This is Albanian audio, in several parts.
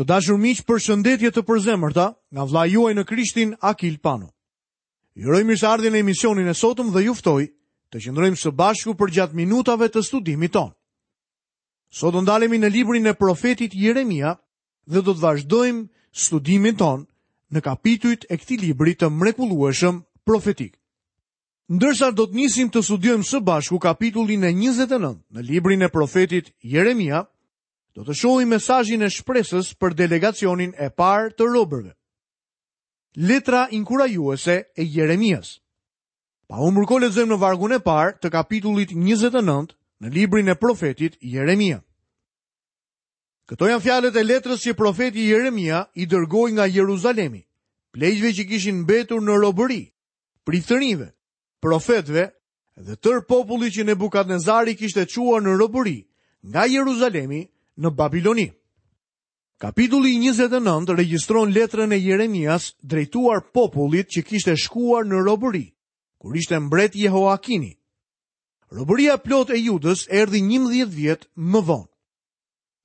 Të dashur miq, përshëndetje të përzemërta nga vëllai juaj në Krishtin Akil Pano. Ju uroj mirëseardhjen në emisionin e sotëm dhe ju ftoj të qëndrojmë së bashku përgjatë minutave të studimit tonë. Sot do ndalemi në librin e profetit Jeremia dhe do të vazhdojmë studimin tonë në kapitujt e këtij libri të mrekullueshëm profetik. Ndërsa do të nisim të studiojmë së bashku kapitullin e 29 në librin e profetit Jeremia, do të shohim mesazhin e shpresës për delegacionin e parë të robërve. Letra inkurajuese e Jeremias. Pa humbur kohë lexojmë në vargun e parë të kapitullit 29 në librin e profetit Jeremia. Këto janë fjalët e letrës që profeti Jeremia i dërgoi nga Jeruzalemi, pleqve që kishin mbetur në robëri, priftërinjve, profetëve dhe tërë popullit që Nebukadnezari kishte çuar në robëri nga Jeruzalemi në Babiloni. Kapitulli 29 regjistron letrën e Jeremias drejtuar popullit që kishte shkuar në robëri, kur ishte mbret Jehoakini. Robëria e plotë e Judës erdhi 11 vjet më vonë.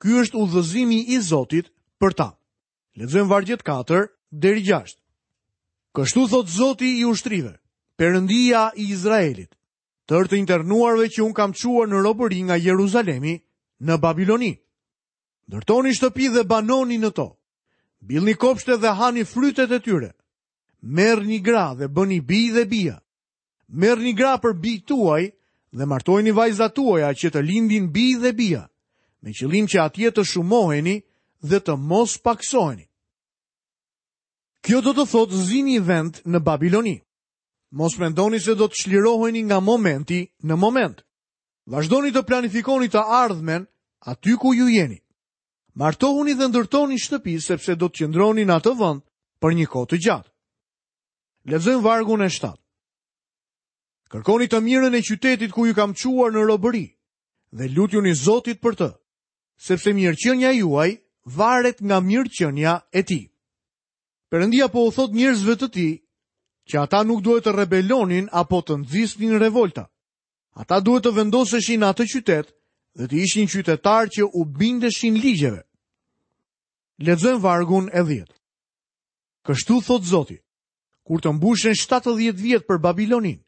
Ky është udhëzimi i Zotit për ta. Lexojmë vargjet 4 deri 6. Kështu thotë Zoti i ushtrive, Perëndia i Izraelit, tërë të internuarve që unë kam çuar në robëri nga Jeruzalemi në Babiloni. Ndërtoni shtëpi dhe banoni në to. Mbillni kopshte dhe hani frytet e tyre. Merrni gra dhe bëni bij dhe bija. Merrni gra për bijtë tuaj dhe martojini vajzat tuaja që të lindin bij dhe bija, me qëllim që atje të shumoheni dhe të mos pakësoheni. Kjo do të thotë zini vend në Babiloni. Mos mendoni se do të çliroheni nga momenti në moment. Vazhdoni të planifikoni të ardhmen aty ku ju jeni. Martohuni dhe ndërtoni shtëpi sepse do të qëndroni në atë vend për një kohë të gjatë. Lexojmë vargun e 7. Kërkoni të mirën e qytetit ku ju kam çuar në robëri dhe lutjuni Zotit për të, sepse mirëqenia juaj varet nga mirëqenia e tij. Perëndia po u thotë njerëzve të tij që ata nuk duhet të rebelonin apo të nxisnin revolta. Ata duhet të vendoseshin në atë qytet dhe të ishin qytetarë që u bindeshin ligjeve. Lexojmë vargun e 10. Kështu thotë Zoti, kur të mbushen 70 vjet për Babiloninë,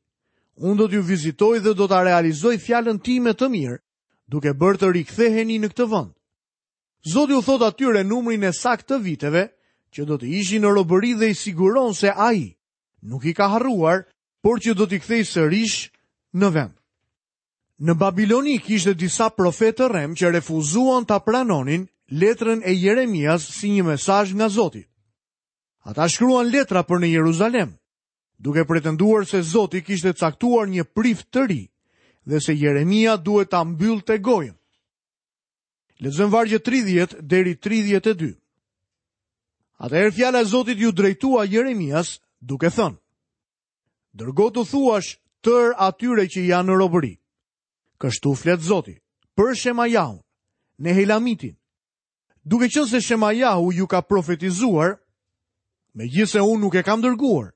unë do t'ju vizitoj dhe do ta realizoj fjalën time të mirë, duke bërë të riktheheni në këtë vend. Zoti u thotë atyre numrin e saktë të viteve që do të ishin në robëri dhe i siguron se ai nuk i ka harruar, por që do t'i kthejë sërish në vend. Në Babiloni kishte disa profetë të rremë që refuzuan ta pranonin letrën e Jeremias si një mesazh nga Zoti. Ata shkruan letra për në Jeruzalem, duke pretenduar se Zoti kishte caktuar një prift të ri dhe se Jeremia duhet ta mbyllte gojën. Lexojmë vargjet 30 deri 32. Atëherë fjala e Zotit iu drejtua Jeremias duke thënë: Dërgo t'u thuash tërë atyre që janë në robëri. Kështu flet Zoti, për Shemajahun, Nehelamitin. Duke qenë se Shemajahu ju ka profetizuar, megjithëse unë nuk e kam dërguar,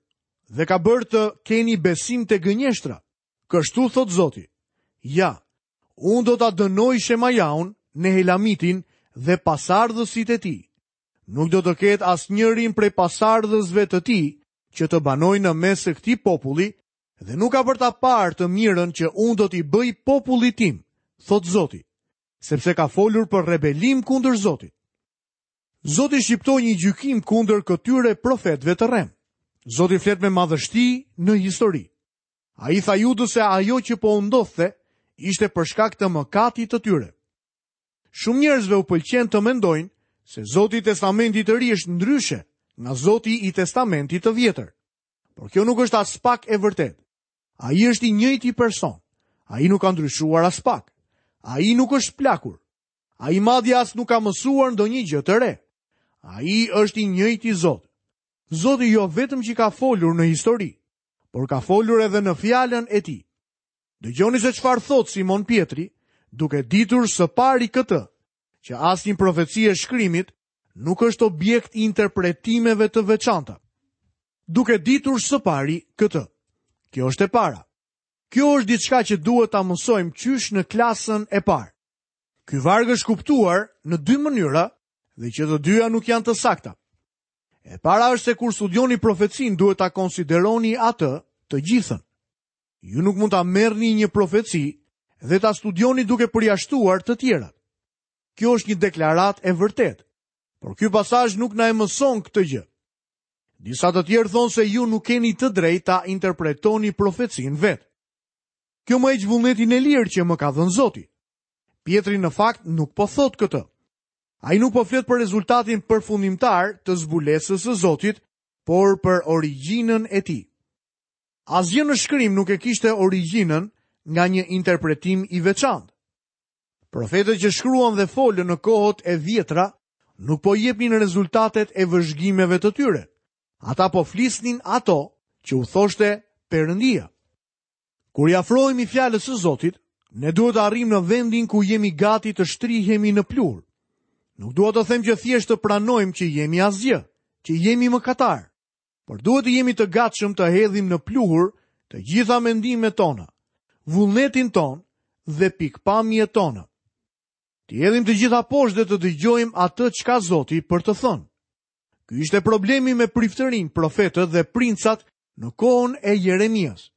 dhe ka bërë të keni besim te gënjeshtra. Kështu thotë Zoti, ja, unë do ta dënoj Shemajahun, Nehelamitin dhe pasardhësit e tij. Nuk do të ketë asnjërin prej pasardhësve të tij që të banojë në mes të këtij populli dhe nuk ka për ta parë të mirën që unë do t'i bëj popullit tim, thotë Zoti, sepse ka folur për rebelim kundër Zotit. Zoti shqiptoi një gjykim kundër këtyre profetëve të rremë. Zoti flet me madhështi në histori. Ai i tha Judës se ajo që po u ndodhte ishte për shkak të mëkatit të tyre. Shumë njerëzve u pëlqen të mendojnë se Zoti i Testamentit të Ri është ndryshe nga Zoti i Testamentit të Vjetër. Por kjo nuk është aspak e vërtetë. Ai është i njëjti person. Ai nuk ka ndryshuar aspak. Ai nuk është plakur. Ai madje as nuk ka mësuar ndonjë gjë të re. Ai është i njëjti Zot. Zoti jo vetëm që ka folur në histori, por ka folur edhe në fjalën e tij. Dëgjoni se çfarë thotë Simon Pjetri, duke ditur së pari këtë, që asnjë profeci e shkrimit nuk është objekt i interpretimeve të veçanta. Duke ditur së pari këtë. Kjo është e para. Kjo është diçka që duhet ta mësojmë qysh në klasën e parë. Ky varg është kuptuar në dy mënyra dhe që të dyja nuk janë të sakta. E para është se kur studioni profecinë duhet ta konsideroni atë të gjithën. Ju nuk mund ta merrni një profeci dhe ta studioni duke përjashtuar të tjerat. Kjo është një deklaratë e vërtetë, por ky pasazh nuk na e mëson këtë gjë. Disa të tjerë thonë se ju nuk keni të drejtë ta interpretoni profecinë vetë. Kjo më heq vullnetin e lirë që më ka dhënë Zoti. Pjetri në fakt nuk po thotë këtë. Ai nuk po flet për rezultatin përfundimtar të zbulesës së Zotit, por për origjinën e tij. Asgjë në shkrim nuk e kishte origjinën nga një interpretim i veçantë. Profetët që shkruan dhe folën në kohët e vjetra nuk po jepnin rezultatet e vëzhgimeve të tyre. Ata po flisnin ato që u thoshte Perëndia. Kur i afrohemi fjalës së Zotit, ne duhet të arrijmë në vendin ku jemi gati të shtrihemi në pluhur. Nuk dua të them që thjesht të pranojmë që jemi asgjë, që jemi mëkatarë. Por duhet të jemi të gatshëm të hedhim në pluhur të gjitha mendimet tona, vullnetin tonë dhe pikëpamjet tona. T'i hedhim të gjitha poshtë dhe të dëgjojmë atë ç'ka Zoti për të thënë. Ky ishte problemi me priftërinjtë, profetët dhe princat në kohën e Jeremias.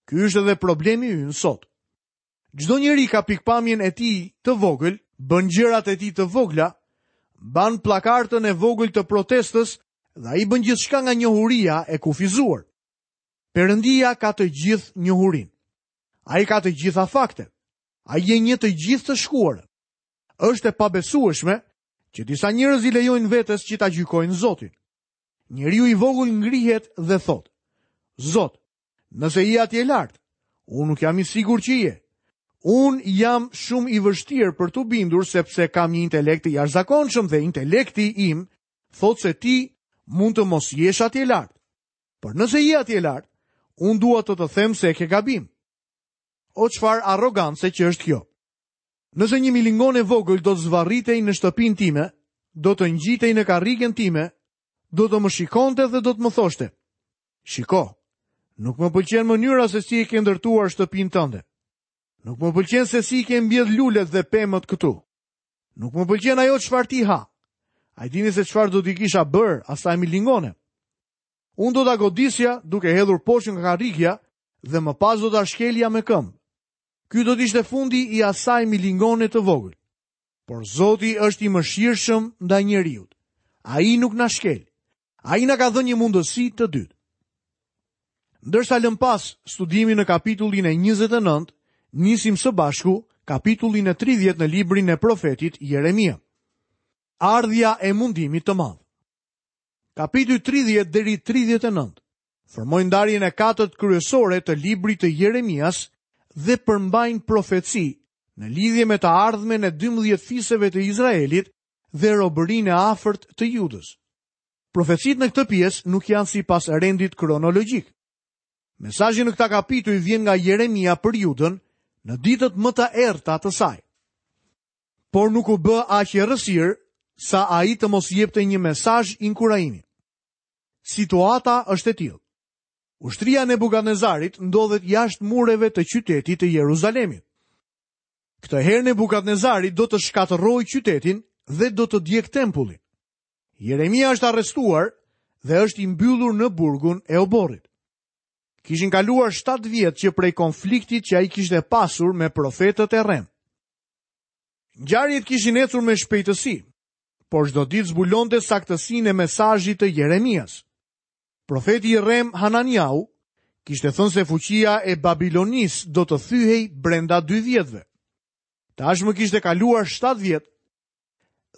Ky është edhe problemi ynë sot. Çdo njeri ka pikëpamjen e tij të vogël, bën gjërat e tij të vogla, mban pllakartën e vogël të protestës dhe ai bën gjithçka nga njohuria e kufizuar. Perëndia ka të gjithë njohurinë. Ai ka të gjitha faktet. Ai e njeh të gjithë të shkuarën. Është e pabesueshme që disa njerëz i lejojnë vetes që ta gjykojnë Zotin. Njeriu i vogël ngrihet dhe thotë: Zot, Nëse je atje lart, unë nuk jam i sigurt që je. Unë jam shumë i vështirë për t'u bindur sepse kam një intelekt të jashtëzakonshëm dhe intelekti im thotë se ti mund të mos jesh atje lart. Por nëse je atje lart, unë dua të të them se e ke gabim. O çfarë arrogance që është kjo. Nëse një milingonë e vogël do të zvarritej në shtëpinë time, do të ngjitej në karrigen time, do të më shikonte dhe do të më thoshte: Shiko, nuk më pëlqen mënyra se si e ke ndërtuar shtëpinë tënde. Nuk më pëlqen se si i ke mbjellë lulet dhe pemët këtu. Nuk më pëlqen ajo çfarë ti ha. A e dini se çfarë do t'i kisha bërë asaj milingone? Unë do ta godisja duke hedhur poshtë nga karrikja dhe më pas do ta shkelja me këmbë. Ky do të ishte fundi i asaj milingone të vogël. Por Zoti është i mëshirshëm ndaj njeriut. Ai nuk na shkel. Ai na ka dhënë një mundësi të dytë. Ndërsa lëmë pas studimin në kapitullin e 29, nisim së bashku kapitullin e 30 në librin e profetit Jeremia. Ardhja e mundimit të madh. Kapitujt 30 deri 39 formojnë ndarjen e katërt kryesore të librit të Jeremias dhe përmbajnë profeci në lidhje me të ardhmen e 12 fiseve të Izraelit dhe robërinë e afërt të Judës. Profecitë në këtë pjesë nuk janë sipas rendit kronologjik. Mesazhi në këta kapituj vjen nga Jeremia për Judën në ditët më të errëta të saj. Por nuk u bë aq errësirë sa ai të mos jepte një mesazh inkurajimi. Situata është e tillë. Ushtria e Nebukadnezarit ndodhet jashtë mureve të qytetit të Jeruzalemit. Këtë herë Nebukadnezari do të shkatërrojë qytetin dhe do të djegë tempullin. Jeremia është arrestuar dhe është i mbyllur në burgun e oborrit. Kishin kaluar 7 vjet që prej konfliktit që ai kishte pasur me profetët e rremë. Ngjarjet kishin ecur me shpejtësi, por çdo ditë zbulonte saktësinë e mesazhit të Jeremias. Profeti i rremë Hananiau kishte thënë se fuqia e Babilonisë do të thyhej brenda dy vjetëve. Tashmë kishte kaluar 7 vjet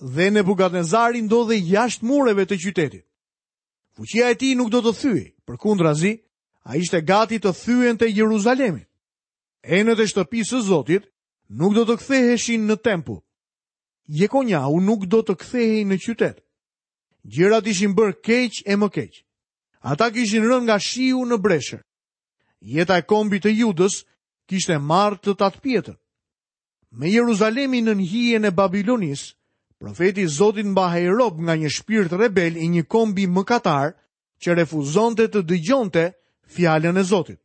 dhe Nebukadnezari ndodhej jashtë mureve të qytetit. Fuqia e tij nuk do të thyhej, përkundrazi, ai ishte gati të thyente Jeruzalemin. Enët e shtëpisë së Zotit nuk do të ktheheshin në tempull. Jekonjahu nuk do të kthehej në qytet. Gjërat ishin bërë keq e më keq. Ata kishin rënë nga shiu në breshër. Jeta e kombit të Judës kishte marrë të tatëpjetën. Me Jeruzalemin nën hijen e Babilonisë, profeti i Zotit mbahej rob nga një shpirt rebel i një kombi mëkatar që refuzonte të dëgjonte fjalën e Zotit.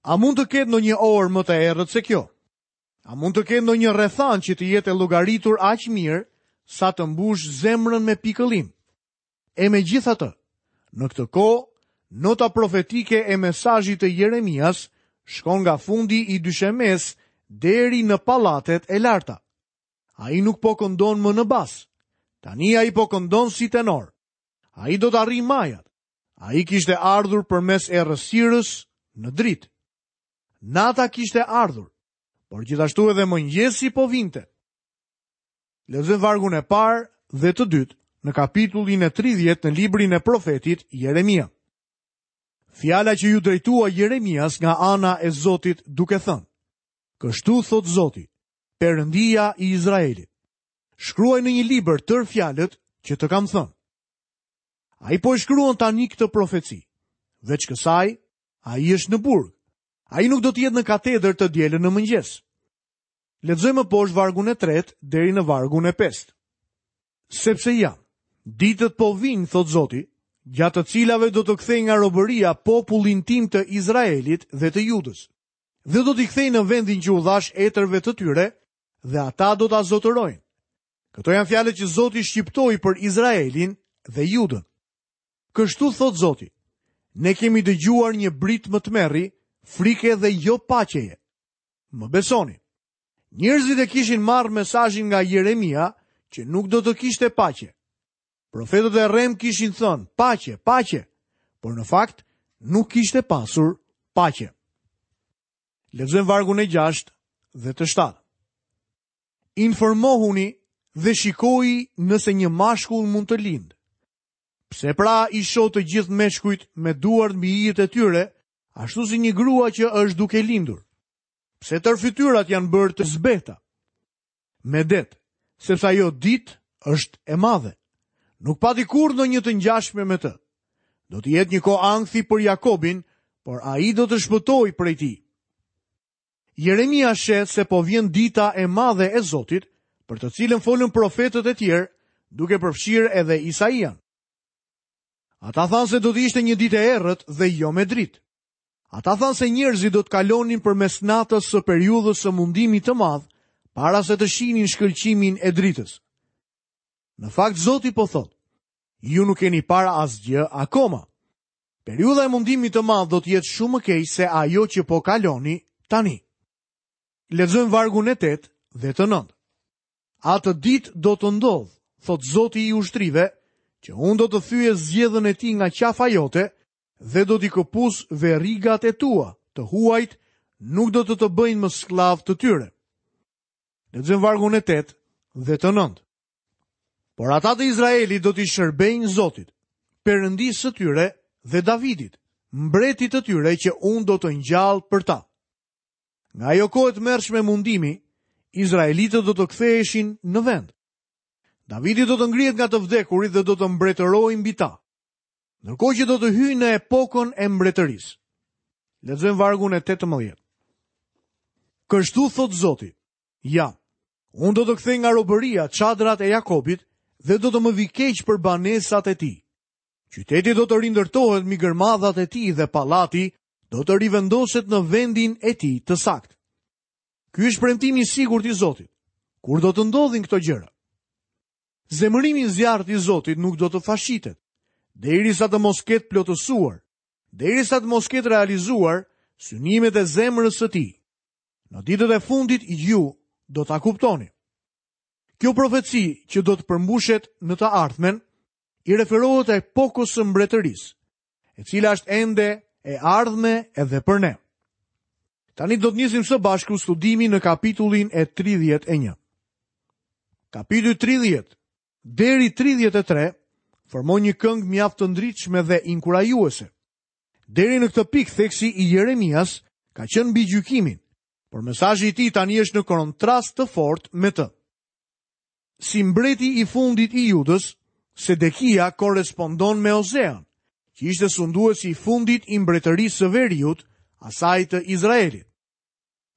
A mund të ketë ndonjë orë më të errët se kjo? A mund të ketë ndonjë rrethanë që të jetë e llogaritur aq mirë sa të mbush zemrën me pikëllim. E megjithatë, në këtë kohë, nota profetike e mesazhit të Jeremias shkon nga fundi i dyshemesë deri në pallatet e larta. Ai nuk po këndon më në bas. Tani ai po këndon si tenor. Ai do të arrijë majat. Ai kishte ardhur përmes errësirës në dritë. Nata kishte ardhur, por gjithashtu edhe mëngjesi po vinte. Lexojmë vargun e parë dhe të dytë në kapitullin e 30 në librin e profetit Jeremia. Fjala që iu drejtua Jeremias nga ana e Zotit duke thënë: Kështu thotë Zoti, Perëndia i Izraelit. Shkruaj në një libër tërë fjalët që të kam thënë. Ai po e shkruan tani këtë profeci. Veç kësaj, ai është në burg. Ai nuk do të jetë në katedër të dielën në mëngjes. Lexojmë më poshtë vargun e tretë deri në vargun e pestë. Sepse ja, ditët po vijnë, thotë Zoti, gjatë të cilave do të kthej nga robëria popullin tim të Izraelit dhe të Judës. Dhe do t'i kthej në vendin që u dhashë etërve të tyre dhe ata do ta zotërojnë. Këto janë fjalët që Zoti shqiptoi për Izraelin dhe Judën. Kështu thotë Zoti, ne kemi dëgjuar një britmë tmerri, frike dhe jo paqeje. Më besoni. Njerëzit e kishin marrë mesazhin nga Jeremia që nuk do të kishte paqe. Profetët e rremë kishin thënë paqe, paqe, por në fakt nuk kishte pasur paqe. Lexojmë vargun e 6 dhe të 7. Informohuni dhe shikoi nëse një mashkull mund të lindë. Pse pra i shoh të gjithë meshkujt me duart mbi ijët e tyre, ashtu si një grua që është duke lindur? Pse tërë fytyrat janë bërë të zbehta? Medet, sepse ajo ditë është e madhe. Nuk pati kurrë ndonjë të ngjashme me të. Do të jetë një kohë ankthi për Jakobin, por ai do të shpëtojë prej tij. Jeremia sheh se po vjen dita e madhe e Zotit, për të cilën folën profetët e tjerë, duke përfshirë edhe Isaian. Ata thanë se do të ishte një ditë e errët dhe jo me dritë. Ata thanë se njerëzit do të kalonin përmes natës së periudhës së mundimit të madh para se të shihnin shkëlqimin e dritës. Në fakt Zoti po thotë, ju nuk keni parë asgjë akoma. Periudha e mundimit të madh do të jetë shumë më keq se ajo që po kaloni tani. Lexojmë vargun e 8 dhe të 9. Atë ditë do të ndodhë, thotë Zoti i ushtrive, që unë do të thyej zgjedhën e tij nga qafa jote dhe do t'i këpus verigat e tua, të huajt nuk do të të bëjnë më skllav të tyre. Lexojmë vargun e 8 dhe të 9. Por ata të Izraelit do t'i shërbejnë Zotit, Perëndisë së tyre dhe Davidit, mbretit të tyre që unë do të ngjall për ta. Nga ajo kohë e tmerrshme mundimi, izraelitët do të ktheheshin në vend. Davidi do të ngrihet nga të vdekurit dhe do të mbretërojë mbi ta. Ndërkohë që do të hyjë në epokën e mbretërisë. Lexojmë vargun e 18. Kështu thotë Zoti, ja, unë do të kthej nga robëria çadrat e Jakobit dhe do të më vijë keq për banesat e tij. Qyteti do të rindërtohet mbi gërmadhat e tij dhe pallati do të rivendoset në vendin e tij të saktë. Ky është premtimi i sigurt i Zotit. Kur do të ndodhin këto gjëra? Zemërimi i zjarrtë i Zotit nuk do të fashitet, derisa të mos ketë plotësuar, derisa të mos ketë realizuar synimet e zemrës së tij. Në ditët e fundit ju do ta kuptoni. Kjo profeci që do të përmbushet në të ardhmen i referohet epokës së mbretërisë, e cila është ende e ardhme edhe për ne. Tani do të nisim së bashku studimin në kapitullin e 31. Kapitulli 30 deri 33 formon një këngë mjaft të ndritshme dhe inkurajuese. Deri në këtë pikë theksi i Jeremias ka qenë mbi gjykimin, por mesazhi i tij tani është në kontrast të fortë me të. Si mbreti i fundit i Judës, Sedekia korrespondon me Ozean, që ishte sunduesi i fundit i mbretërisë së veriut, asaj të Izraelit.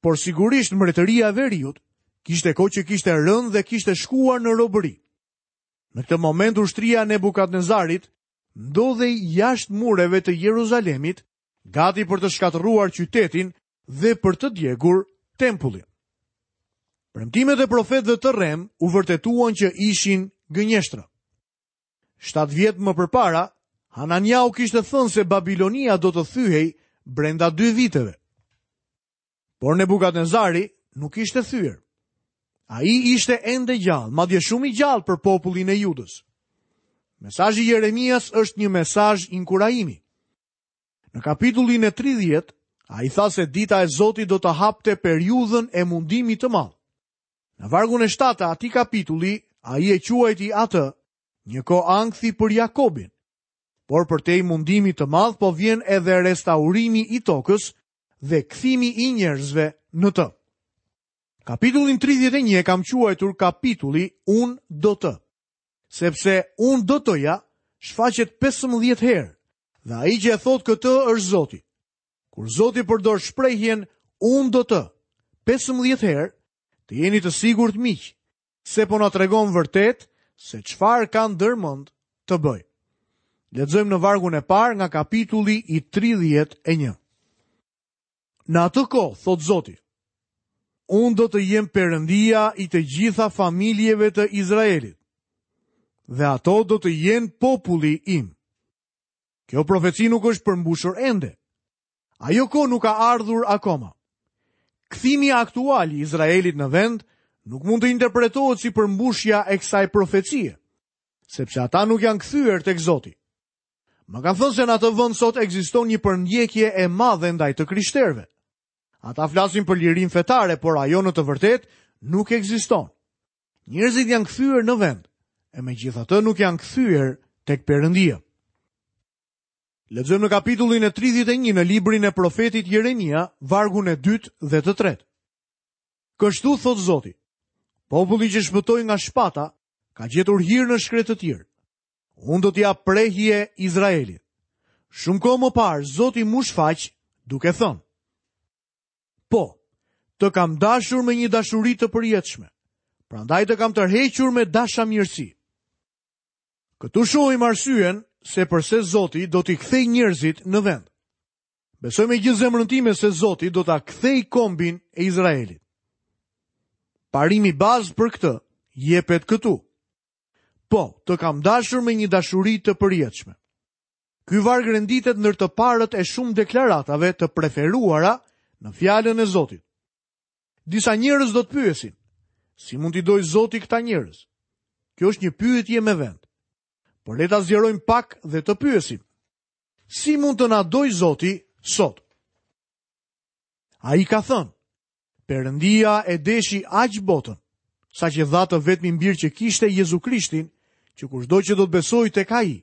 Por sigurisht mbretëria e veriut kishte kohë që kishte rënë dhe kishte shkuar në robëri. Në këtë moment ushtria e Nebukadnezarit ndodhej jashtë mureve të Jeruzalemit, gati për të shkatërruar qytetin dhe për të djegur tempullin. Premtimet e profetëve të rremë u vërtetuan që ishin gënjeshtra. 7 vjet më përpara, Hananiau kishte thënë se Babilonia do të thyhej brenda 2 viteve. Por Nebukadnezari nuk ishte thyer. Ai ishte ende gjallë, madje shumë i gjallë për popullin e Judës. Mesazhi i Jeremias është një mesazh inkurajimi. Në kapitullin e 30, ai tha se dita e Zotit do të hapte periudhën e mundimit të madh. Në vargun e 7 të atij kapitulli, ai e quajti atë një kohë ankthi për Jakobin. Por përtej mundimit të madh po vjen edhe restaurimi i tokës dhe kthimi i njerëzve në të. Kapitullin 31 e kam quajtur kapitulli Unë do të. Sepse unë do të-ja shfaqet 15 herë dhe ai që e thotë këtë është Zoti. Kur Zoti përdor shprehjen unë do të 15 herë, të jeni të sigurt miq, se po na tregon vërtet se çfarë ka ndërmend të bëjë. Lexojmë në vargun e parë nga kapitulli i 31. Në atë kohë, thotë Zoti, unë do të jem Perëndia i të gjitha familjeve të Izraelit, dhe ato do të jenë populli im. Kjo profeci nuk është përmbushur ende. Ajo kohë nuk ka ardhur akoma. Kthimi aktual i Izraelit në vend nuk mund të interpretohet si përmbushja e kësaj profecie, sepse ata nuk janë kthyer tek Zoti. Më kanë thënë se në atë vend sot ekziston një përndjekje e madhe ndaj të krishterëve. Ata flasin për lirinë fetare, por ajo në të vërtetë nuk ekziston. Njerëzit janë kthyer në vend, e megjithatë nuk janë kthyer tek Perëndia. Lexojmë në kapitullin e 31 në librin e profetit Jeremia, vargun e dytë dhe të tretë. Kështu thotë Zoti, populli që shpëtoi nga shpata, ka gjetur hir në shkretëtirë. Unë do t'i jap prehje Izraelit. Shumë kohë më parë, Zoti m'u shfaq duke thënë. Po, të kam dashur me një dashuri të përjetshme, prandaj të kam tërhequr me dashamirësi. Këtu shohim arsyen se përse Zoti do t'i kthejë njerëzit në vend. Besoj me gjithë zemrën time se Zoti do ta kthejë kombin e Izraelit. Parimi bazë për këtë jepet këtu. Po, të kam dashur me një dashuri të përjetshme. Ky varg renditet ndër të parët e shumë deklaratave të preferuara në fjalën e Zotit. Disa njerëz do të pyesin, si mund t'i dojë Zoti këta njerëz? Kjo është një pyetje me vend. Por le ta zgjerojmë pak dhe të pyesim. Si mund të na dojë Zoti sot? Ai ka thënë, Perëndia e deshi aq botën, saqë dha të vetmin bir që kishte Jezu Krishtin, që kushdo që do të besojë tek ai,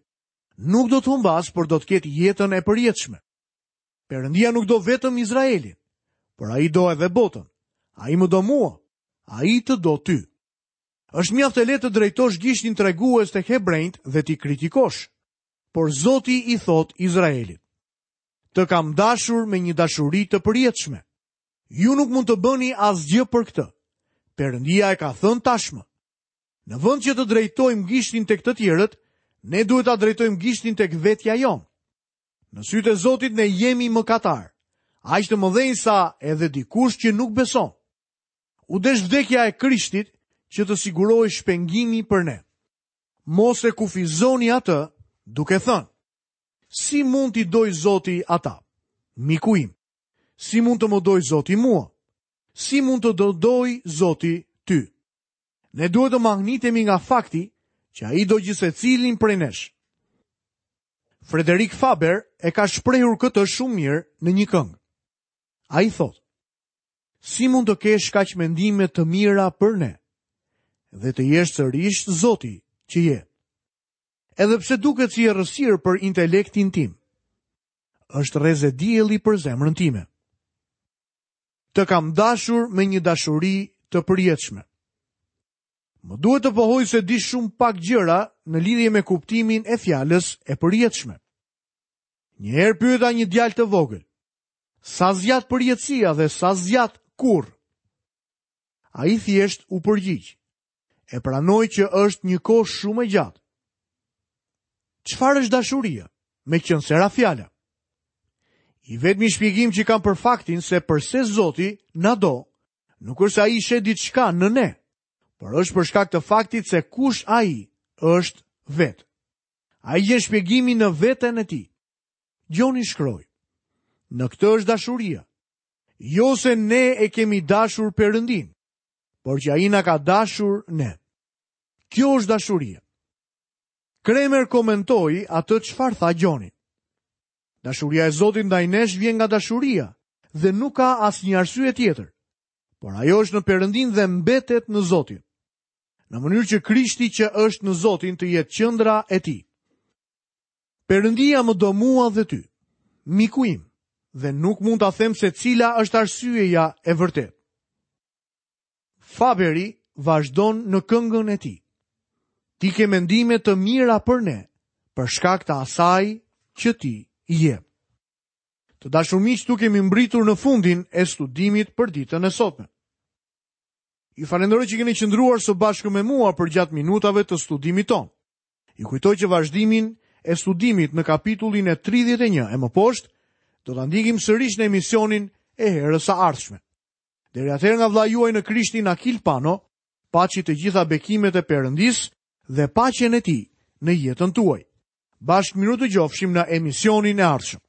nuk do të humbasë, por do të ketë jetën e përjetshme. Perëndia nuk do vetëm Izraelin, por ai do edhe botën. Ai më do mua, ai të do ty. Është mjaft e lehtë të drejtosh gishtin tregues tek hebrenjtë dhe t'i kritikosh. Por Zoti i thotë Izraelit: Të kam dashur me një dashuri të përjetshme. Ju nuk mund të bëni asgjë për këtë. Perëndia e ka thënë tashmë. Në vend që të drejtojmë gishtin tek të tjerët, ne duhet ta drejtojmë gishtin tek vetja jonë. Në sytë e Zotit ne jemi mëkatarë, aq të mëdhenj sa edhe dikush që nuk beson. U desh vdekja e Krishtit që të sigurohej shpengimi për ne. Mos e kufizoni atë duke thënë, si mund t'i dojë Zoti ata? Miku im, si mund të më dojë Zoti mua? Si mund të të dojë Zoti ty? Ne duhet të mahnitemi nga fakti që ai do gjithsecilin prej nesh. Frederik Faber e ka shprehur këtë shumë mirë në një këngë. Ai thotë: Si mund të kesh kaq mendime të mira për ne dhe të jesh sërish Zoti që je? Edhe pse duket si errësirë për intelektin tim, është rreze dielli për zemrën time. Të kam dashur me një dashuri të përjetshme. Më duhet të pohoj se di shumë pak gjëra në lidhje me kuptimin e fjalës e përjetshme. Një herë pyeta një djalë të vogël, sa zgjat përjetësia dhe sa zgjat kurrë? Ai thjesht u përgjigj. E pranoj që është një kohë shumë e gjatë. Çfarë është dashuria? Meqenëse ra fjala. I vetmi shpjegim që kam për faktin se përse Zoti na do, Nuk është se ai sheh diçka në ne, por është për shkak të faktit se kush ai është vetë. Ai gjen shpjegimin në veten e tij. Gjoni shkroi: Në këtë është dashuria. Jo se ne e kemi dashur Perëndinë, por që ai na ka dashur ne. Kjo është dashuria. Kremer komentoi atë çfarë tha Gjoni. Dashuria e Zotit ndaj nesh vjen nga dashuria dhe nuk ka asnjë arsye tjetër. Por ajo është në Perëndinë dhe mbetet në Zotin. Në mënyrë që Krishti që është në Zotin të jetë qendra e tij. Perëndia më do mua dhe ty, miku im, dhe nuk mund ta them se cila është arsyeja e vërtetë. Faberi vazhdon në këngën e tij. Ti ke mendime të mira për ne, për shkak të asaj që ti je. Të dashur miq, këtu kemi mbërritur në fundin e studimit për ditën e sotme. Ju falenderoj që keni qëndruar së bashku me mua përgjatë minutave të studimit tonë. Ju kujtoj që vazhdimin e studimit në kapitullin e 31 e më poshtë do ta ndjekim sërish në emisionin e herës së ardhshme. Deri atëherë nga vëllai juaj në Krishtin Akil Pano, paçi të gjitha bekimet e Perëndisë dhe paqen e tij në jetën tuaj. Bashkë mirudëgjofshim në emisionin e ardhshëm.